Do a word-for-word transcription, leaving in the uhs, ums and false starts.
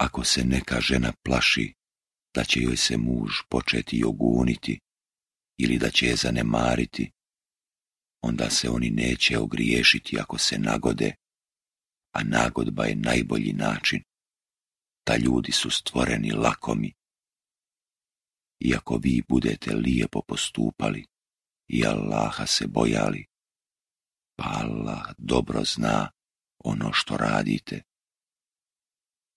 Ako se neka žena plaši da će joj se muž početi joguniti ili da će je zanemariti, onda se oni neće ogriješiti ako se nagode, a nagodba je najbolji način. Ta ljudi su stvoreni lakomi. I ako vi budete lijepo postupali i Allaha se bojali, pa Allah dobro zna ono što radite.